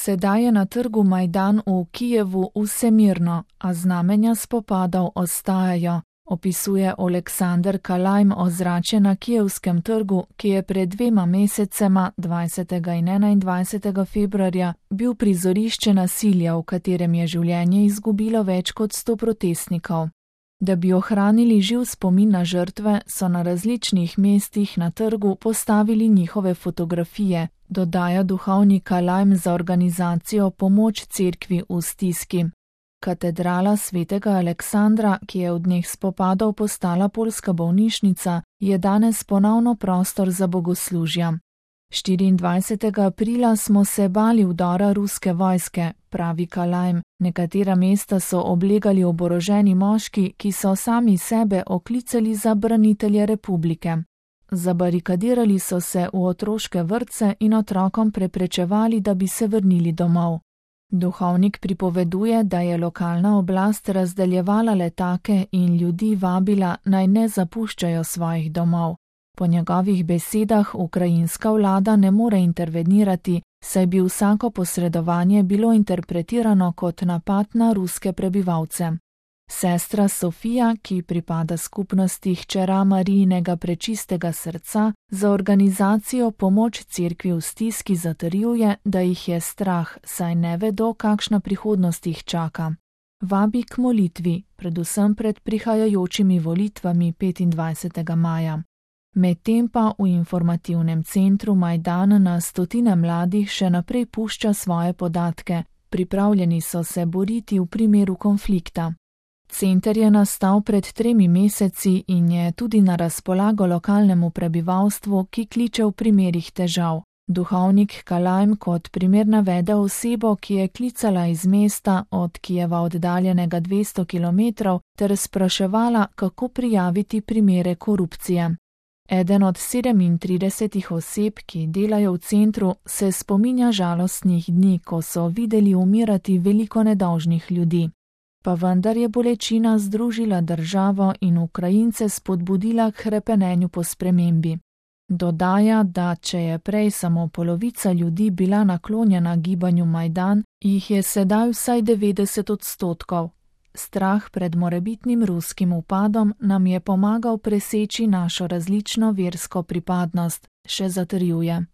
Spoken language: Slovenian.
Sedaj je na trgu Majdan v Kijevu vse mirno, a znamenja spopadov ostajajo, opisuje Oleksander Kalajm ozračje na kijevskem trgu, ki je pred 2 mesecema, 20. in 21. februarja, bil prizorišče nasilja, v katerem je življenje izgubilo več kot 100 protestnikov. Da bi ohranili živ spomin na žrtve, so na različnih mestih na trgu postavili njihove fotografije, dodaja duhovnik Kalajm za organizacijo Pomoč cerkvi v stiski. Katedrala svetega Aleksandra, ki je v dneh spopadov postala poljska bolnišnica, je danes ponovno prostor za bogoslužja. 24. aprila smo se bali vdora ruske vojske, pravi Kalajm. Nekatera mesta so oblegali oboroženi moški, ki so sami sebe oklicali za branitelje republike. Zabarikadirali so se v otroške vrtce in otrokom preprečevali, da bi se vrnili domov. Duhovnik pripoveduje, da je lokalna oblast razdeljevala letake in ljudi vabila, naj ne zapuščajo svojih domov. Po njegovih besedah ukrajinska vlada ne more intervenirati, saj bi vsako posredovanje bilo interpretirano kot napad na ruske prebivalce. Sestra Sofija, ki pripada skupnosti hčera Marijinega prečistega srca, za organizacijo Pomoč cerkvi v stiski zatrjuje, da jih je strah, saj ne vedo, kakšna prihodnost jih čaka. Vabi k molitvi, predvsem pred prihajajočimi volitvami 25. maja. Medtem pa v informativnem centru Majdan na stotine mladih še naprej pušča svoje podatke, pripravljeni so se boriti v primeru konflikta. Center je nastal pred 3 meseci in je tudi na razpolago lokalnemu prebivalstvu, ki kliče v primerih težav. Duhovnik Kalajm kot primer navede osebo, ki je klicala iz mesta od Kijeva oddaljenega 200 km ter spraševala, kako prijaviti primere korupcije. Eden od 37 oseb, ki delajo v centru, se spominja žalostnih dni, ko so videli umirati veliko nedolžnih ljudi. Pa vendar je bolečina združila državo in Ukrajince spodbudila k hrepenenju po spremembi. Dodaja, da če je prej samo polovica ljudi bila naklonjena gibanju Majdan, jih je sedaj vsaj 90%. Strah pred morebitnim ruskim vpadom nam je pomagal preseči našo različno versko pripadnost, še zatrjuje.